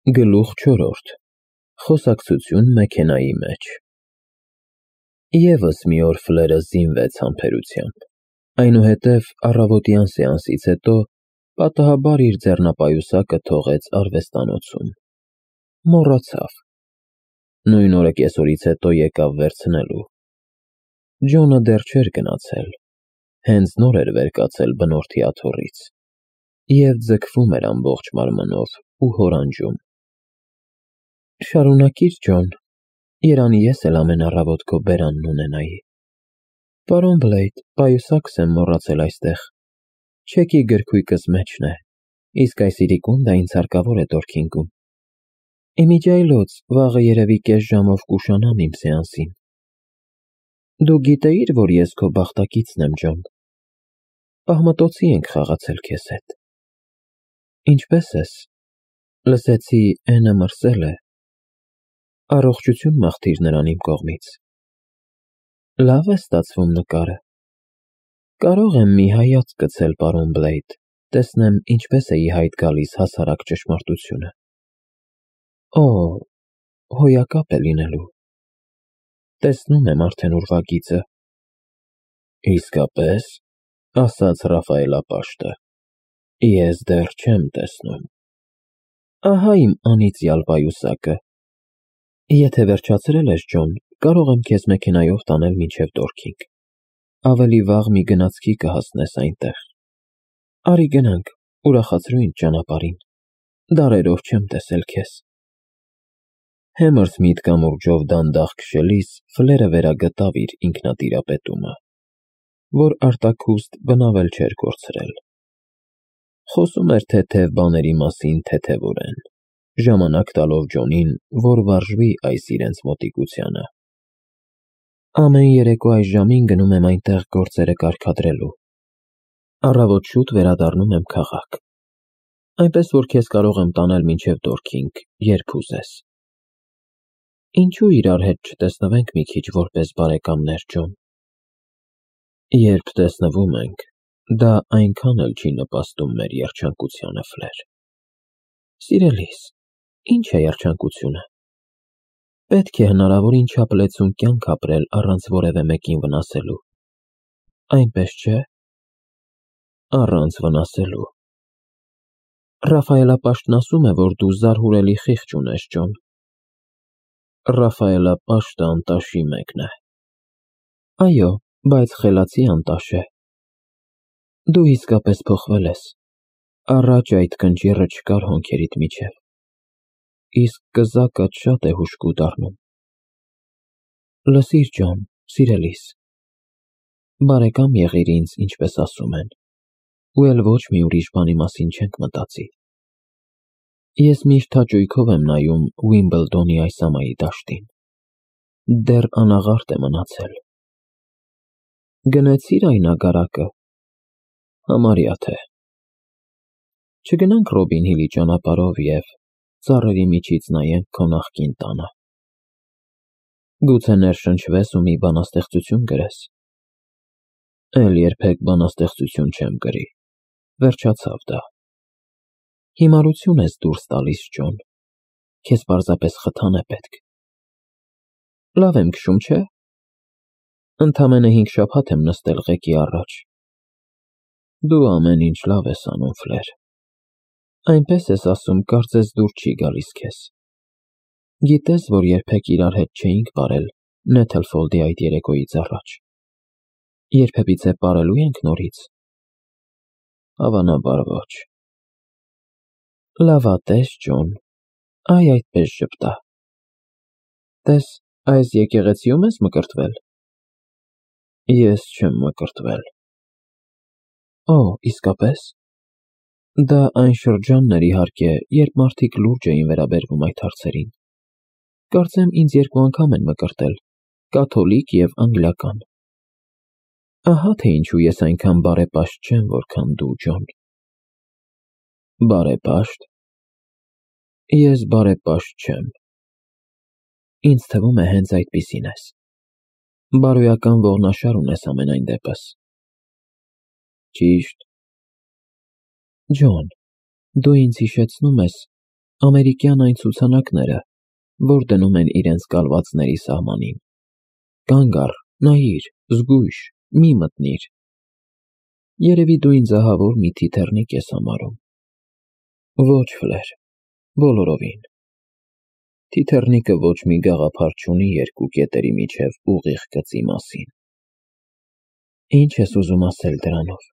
Գլուխ 4. Խոսակցություն մեքենայի մեջ։ Եվս մի օր Ֆլերը զինվեց համբերությամբ, այնուհետև առավոտյան սեանսից հետո պատահաբար իր ձեռնապայուսակը թողեց արվեստանոցում։ Մոռացավ։ Նույն օրը կեսօրից հետո եկավ վերցնելու։ Ջոնը դեռ չէր գնացել, հենց նոր էր վեր կացել բնորդի աթոռից և ձգվում էր ամբողջ մարմնով ու հորանջում. Շարունակիր, Ջոն, երանի ես էլ ամեն առավոտ քո բերանն ունենայի։ Պարոն Բլեյդ, պայուսակս եմ մոռացել այստեղ, չեկի գրքույկս մեջն է, իսկ այս իրիկունդը ինձ հարկավոր է Դորքինգում։ Իմիջիայլոց, վաղը երևի կես ժամով կուշանամ իմ սեանսին։ Դու գիտեիր, որ ես քո բախտակիցն եմ, Ջոն։ Աղմտոցի ենք խաղացել քեզ հետ։ Ինչպե՞ս ես։ Լսեցի Էնը մրսել է։ Առողջություն մաղթիր նրան իմ կողմից։ Լավ է ստացվում նկարը։ Կարող եմ մի հայացք գցել, պարոն Բլեյդ, տեսնեմ ինչպես է ի հայտ գալիս հասարակ ճշմարտությունը։ Օ, հոյակապ է լինելու։ Տեսնում եմ արդեն ուրվագիծը։ Իսկապես, ասաց Ռաֆայելապաշտը, ես դեռ չեմ տեսնում։ Ահա իմ անիծյալ պայուսակը։ Եթե վերջացրել ես, Ջոն, կարող եմ քեզ մեքենայով տանել մինչև Դորքինգ։ Ավելի վաղ մի գնացքի կհասնես այնտեղ։ Արի գնանք, ուրախացրու ինձ ճանապարհին։ Դարերով չեմ տեսել քեզ։ Հեմրս միտքամուրջով դանդաղ քշելիս Ֆլերը վերագտավ իր ինքնատիրապետումը, որ արտաքուստ բնավել չէր կորցրել։ Խոսում էր թեթև բաների մասին թեթևորեն, ժամանակ տալով Ջոնին, որ վարժվի այս իրենց մոտիկությանը։ Ամեն երեկո այս ժամին գնում եմ այնտեղ գործերը կարգադրելու։ Առավոտ շուտ վերադառնում եմ քաղաք։ Այնպես որ քեզ կարող եմ տանել մինչև Դորքինգ, երբ ուզես։ Ինչու իրար հետ չտեսնվենք մի քիչ որպես բարեկամներ, Ջոն։ Երբ տեսնվում ենք, դա այնքան էլ չի նպաստում մեր երջանկությանը, Ֆլեր։ Սիրելիս, ինչ է երջանկությունը։ Պետք է հնարավորին չափ լեցուն կյանք ապրել առանց որևէ մեկին վնասելու։ Այնպես չէ։ Առանց վնասելու։ Ռաֆայելապաշտն ասում է, որ դու զարհուրելի խիղճ ունես, Ջոն։ Ռաֆայելապաշտը անտաշի մեկն է։ Այո, բայց խելացի անտաշ է։ Դու իսկապես փոխվել ես։ Առաջ այդ կնճիռը չկար հոնքերիդ միջև։ Իսկ կզակդ շատ է հուժկու դառնում։ Լսիր, Ջոն, սիրելիս։ Բարեկամ եղիր ինձ, ինչպես ասում են, ու էլ ոչ մի ուրիշ բանի մասին չենք մտածի։ Ես միշտ հաճույքով եմ նայում Ուիմբլդոնի այս ամայի դաշտին։ Դեռ անաղարտ է մնացել։ Գնեցի՞ր այն ագարակը։ Համարյա թե։ Չգնանք Ռոբին Հիլի ճանապարհով և ծառերի միջից նայենք քո նախկին տանը։ Գուցե ներշնչվես ու մի բանաստեղծություն գրես։ Էլ երբեք բանաստեղծություն չեմ գրի։ Վերջացավ դա։ Հիմարություն ես դուրս տալիս, Ջոն։ Քեզ պարզապես խթան է պետք։ Լավ եմ քշում, չէ՞։ Ընդամենը 5 շաբաթ եմ նստել ղեկի առաջ։ Դու ամեն ինչ լավ ես անում, Ֆլեր։ Այնպես ես ասում, կարծես դուր չի գալիս քեզ։ Գիտես, որ երբեք իրար հետ չէինք պարել Նեթլֆոլդի այդ երեկոյից առաջ։ Երբևիցե պարելու ենք նորից։ Հավանաբար ոչ։ Լավատես, Ջոն, այ այդպես ժպտա։ Տես, այս եկեղեցիում ես մկրտվել։ Ես չեմ մկրտվել։ Օ, իսկապես։ Դա այն շրջանն էր, իհարկե, երբ մարդիկ լուրջ էին վերաբերվում այդ հարցերին։ Կարծեմ ինձ 2 անգամ են մկրտել, կաթոլիկ և անգլիական։ Ահա թե ինչու ես այնքան բարեպաշտ չեմ, որքան դու, Ջոն։ Բարեպաշտ։ Ես բարեպաշտ չեմ։ Ինձ թվում է հենց այդպիսին ես։ Բարոյական ողնաշար ունես ամենայն դեպս։ Ճիշտ։ Ջոն, դու ինձ հիշեցնում ես ամերիկյան այն ցուցանակները, որ դնում են իրենց կալվածների սահմանին։ Կանգ առ, նայիր, զգույշ, մի մտնիր։ Երևի դու ինձ ահավոր մի թիթեռնիկ ես համարում։ Ոչ, Ֆլեր, բոլորովին։ Թիթեռնիկը ոչ մի գաղափար չունի երկու կետերի միջև ուղիղ գծի մասին։ Ինչ ես ուզում ասել դրանով։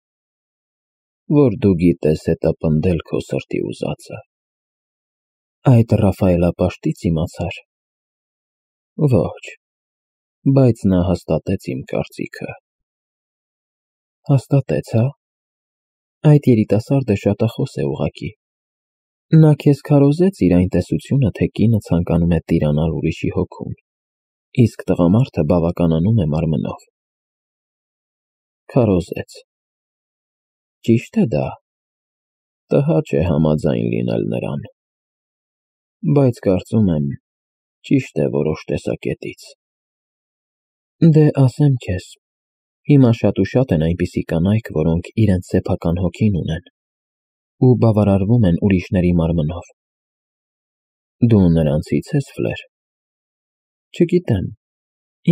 Որ դու գիտես հետապնդել քո սրտի ուզածը։ Այդ Ռաֆայելապաշտից իմացար։ Ոչ, բայց նա հաստատեց իմ կարծիքը։ Հաստատեց, հա։ Այդ երիտասարդը շատախոս է ուղղակի։ Նա քեզ քարոզեց իր այն տեսությունը, թե կինը ցանկանում է տիրանալ ուրիշի հոգուն, իսկ տղամարդը բավականանում է մարմնով։ Քարոզեց։ Ճիշտ է դա։ Տհաճ է համաձայն լինել նրան։ Բայց կարծում եմ, ճիշտ է որոշ տեսակետից։ Դե ասեմ քեզ, հիմա շատ ու շատ են այնպիսի կանայք, որոնք իրենց սեփական հոգին ունեն ու բավարարվում են ուրիշների մարմնով։ Դու նրանցից ես, Ֆլեր։ Չգիտեմ,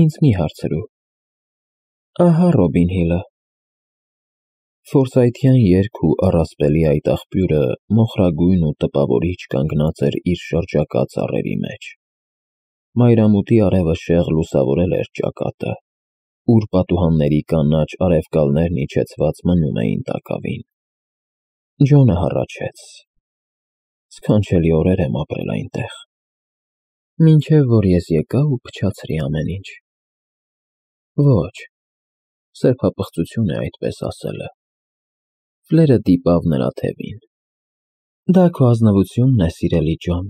ինձ մի հարցրու։ Ահա Ռոբին Հիլը։ Ֆորսայթյան երգ ու առասպելի այդ աղբյուրը մոխրագույն ու տպավորիչ կանգնած էր իր շրջակա ծառերի մեջ։ Մայրամուտի արևը շեղ լուսավորել էր ճակատը, ուր պատուհանների կանաչ արևկալներն իջեցված մնում էին տակավին։ Ջոնը հառաչեց։ Սքանչելի օրեր եմ ապրել այնտեղ։ Մինչև որ ես եկա ու փչացրի ամեն ինչ։ Ոչ, սրբապղծություն է այդպես ասելը։ Ֆլերը դիպավ նրա թևին։ Դա քո ազնվությունն է, սիրելի Ջոն։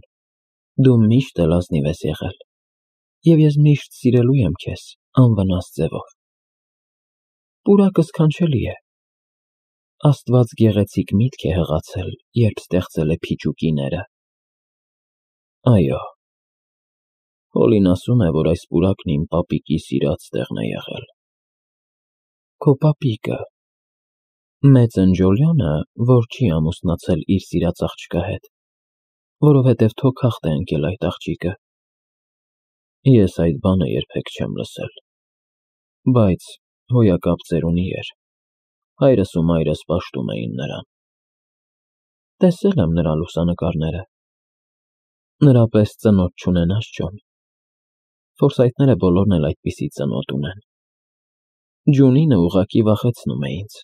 Դու միշտ էլ ազնիվ ես եղել։ Եվ ես միշտ սիրելու եմ քեզ, անվնաս ձևով։ Պուրակը սքանչելի է։ Աստված գեղեցիկ միտք է հղացել, երբ ստեղծել է փիճուկիները։ Այո։ Հոլին ասում է, որ այս պուրակն իմ պապիկի սիրած տեղն է եղել։ Քո պապիկը։ Մեծ ընջոլյանը, որ չի ամուսնացել իր սիրած աղջկա հետ, որովհետև թոքախտ է ընկել այդ աղջիկը։ Ես այդ բանը երբեք չեմ լսել։ Բայց հոյակապ ծերունի էր։ Հայրս ու մայրս պաշտում էին նրան։ Տեսել եմ նրա լուսանկարները։ Նրա պես ծնոտ չունենաս, Ջոն։ Ֆորսայթները բոլորն էլ այդպիսի ծնոտ ունեն։ Ջունինը ուղղակի վախեցնում է ինձ։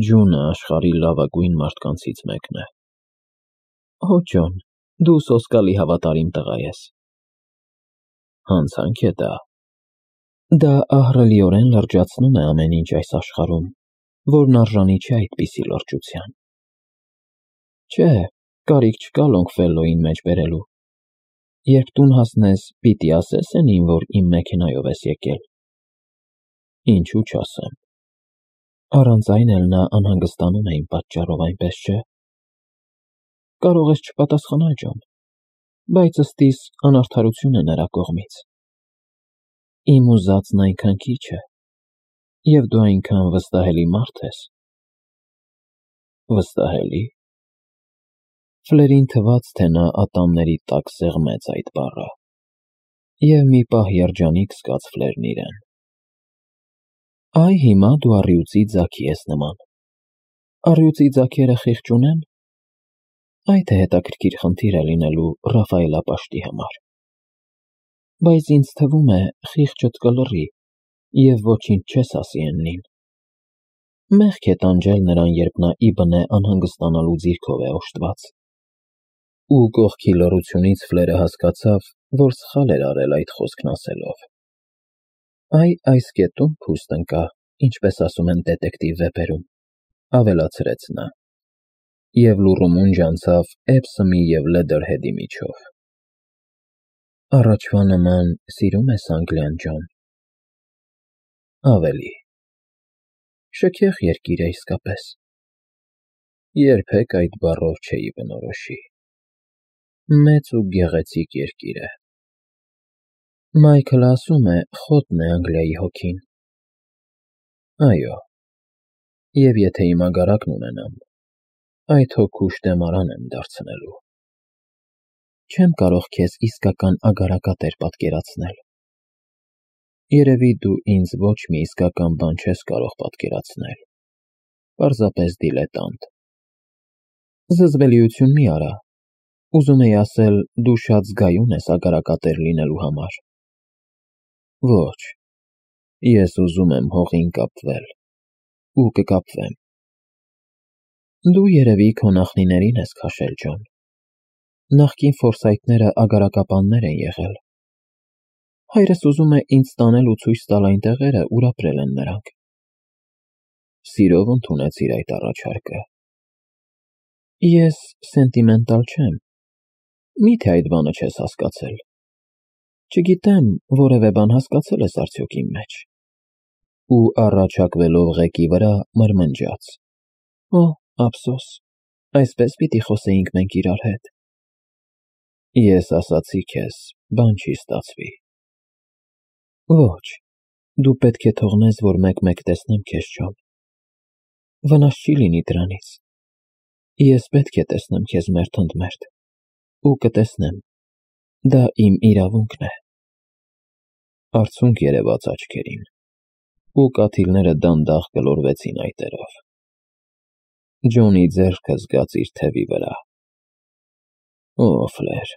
Ջունը աշխարհի լավագույն մարդկանցից մեկն է։ Օ, Ջոն, դու սոսկալի հավատարիմ տղա ես։ Հանցանք է դա։ Դա ահռելիորեն լրջացնում է ամեն ինչ այս աշխարհում, որն արժանի չէ այդպիսի լրջության։ Չէ, կարիք չկա Լոնգֆելլոյին մեջ բերելու։ Երբ տուն հասնես, պիտի ասես էնին, որ իմ մեքենայով ես եկել։ Ինչու չասեմ։ Առանց այն էլ նա անհանգստանում է իմ պատճառով, այնպես չէ։ Կարող ես չպատասխանալ, Ջոն, բայց ըստիս անարդարություն է նրա կողմից։ Իմ ուզածն այնքան քիչ է, և դու այնքան վստահելի մարդ ես։ Վստահելի։ Ֆլերին թվաց, թե նա ատամների տակ սեղմեց այդ բառը, և մի պահ երջանիկ զգաց Ֆլերն իրեն։ Այ հիմա դու առյուծի ձագի ես նման։ Առյուծի ձագերը խիղճ ունեն։ Այդ է հետաքրքիր խնդիր է լինելու Ռաֆայելապաշտի համար։ Բայց ինձ թվում է, խիղճդ կլռի, և ոչինչ չես ասի էննին։ Մեղք է տանջել նրան, երբ նա իբնե անհանգստանալու ձիրքով է օժտված։ Ու կողքի լռությունից Ֆլերը հասկացավ, որ սխալ էր արել այդ խոսքն ասելով։ Այս կետում փուստ ընկա, ինչպես ասում են դետեկտիվ վեպերում, ավելացրեց նա։ Եվ լուռումունջ անցավ Էփսոմի և Լեդերհեդի միջով։ Առաջվա նման սիրում ես Անգլիան, Ջոն։ Ավելի։ Շքեղ երկիր է իսկապես։ Երբեք այդ բառով չէի բնորոշի։ Մեծ ու գեղեցիկ երկիր է։ Մայքլը ասում է, խոտն է Անգլիայի հոգին։ Այո։ Եվ եթե իմ ագարակն ունենամ, այդ հոգու շտեմարան եմ դարձնելու։ չեմ կարող քեզ իսկական ագարակատեր պատկերացնել։ Երևի դու ինձ ոչ մի իսկական բան չես կարող պատկերացնել, պարզապես դիլետանտ։ Զզվելիություն մի արա, ուզում էի ասել, դու շատ զգայուն ես ագարակատեր լինելու համար։ Ոչ, ես ուզում եմ հողին կապվել, ու կկապվեմ։ Դու երևի քո նախնիներին ես քաշել, Ջոն։ Նախկին ֆորսայթները ագարակապաններ են եղել։ Հայրս ուզում է ինձ տանել ու ցույց տալ այն տեղերը, ուր ապրել են նրանք։ Սիրով ընդունեցիր այդ առաջարկը։ Ես սենտիմենտալ չեմ։ Միթե այդ բանը չես հասկացել։ Չգիտեմ, որևէ բան հասկացել ես արդյոք իմ մեջ։ Ու առաջակվելով ղեկի վրա մրմնջաց. Օ, ափսոս, այսպես պիտի խոսեինք մենք իրար հետ։ Ես ասացի քեզ, բան չի ստացվի։ Ոչ, դու պետք է թողնես, որ մեկ-մեկ տեսնեմ քեզ, Ջոն։ Վնաս չի լինի դրանից։ Ես պետք է տեսնեմ քեզ մերթ ընդ մերթ, ու կտեսնեմ, դա իմ իրավունքն է։ Արցունք երևաց աչքերին, ու կաթիլները դանդաղ գլորվեցին այտերով։ Ջոնի ձեռքը զգաց իր թևի վրա։ Օ, Ֆլեր,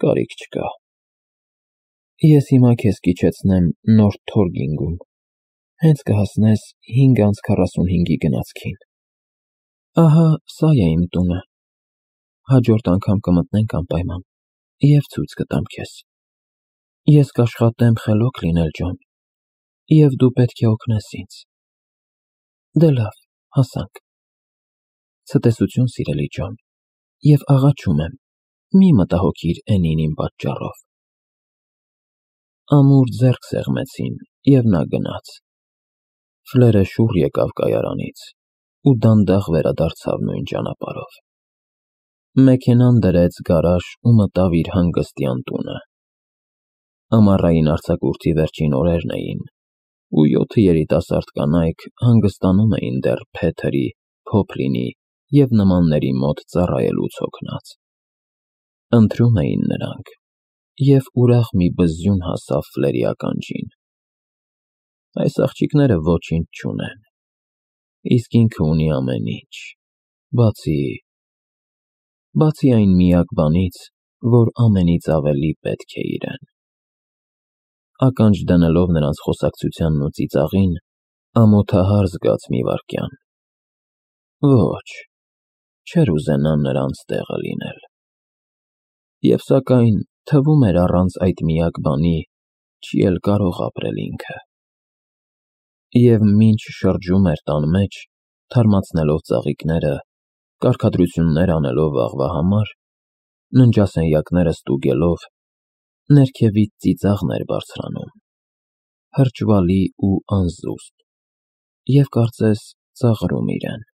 կարիք չկա։ Ես հիմա քեզ կիջեցնեմ Նորթ Թորգինգում, հենց կհասնես 5:45-ի գնացքին։ Ահա սա է իմ տունը։ Հաջորդ անգամ կմտնենք անպայման, և ցույց կտամ քեզ։ Ես կաշխատեմ խելոք լինել, Ջոն, և դու պետք է օգնես ինձ։ Դե լավ, հասանք։ Ցտեսություն, սիրելի Ջոն, և աղաչում եմ, մի մտահոգիր Էնին իմ պատճառով։ Ամուր ձեռք սեղմեցին, և նա գնաց։ Ֆլերը շուռ եկավ կայարանից ու դանդաղ վերադարձավ նույն ճանապարհով։ Մեքենան դրեց գարաժ ու մտավ իր հանգստյան տունը։ Ամառային արձակուրդի վերջին օրերն էին, ու 7 երիտասարդ կանայք հանգստանում էին դեռ Փեթերի, Փոփլինի և նմանների մոտ ծառայելուց հոգնած։ Ընթրում էին նրանք, և ուրախ մի բզզյուն հասավ Ֆլերի ականջին։ Այս աղջիկները ոչինչ չունեն, իսկ ինքը ունի ամեն ինչ, բացի այն միակ բանից, որ ամենից ավելի պետք է իրեն։ Ականջ դնելով նրանց խոսակցությանն ու ծիծաղին, ամոթահար զգաց մի վայրկյան։ Ոչ, չէր ուզենա նրանց տեղը լինել։ Եվ սակայն թվում էր առանց այդ միակ բանի չի էլ կարող ապրել ինքը։ Եվ մինչ շրջում էր տան մեջ, թարմացնելով ծաղիկները, կարգադրություններ անելով վաղվա համար, ննջասենյակները ստուգելով, ներքևից ծիծաղն էր բարձրանում, հրճվալի ու անզուսպ, և կարծես ծաղրում իրեն։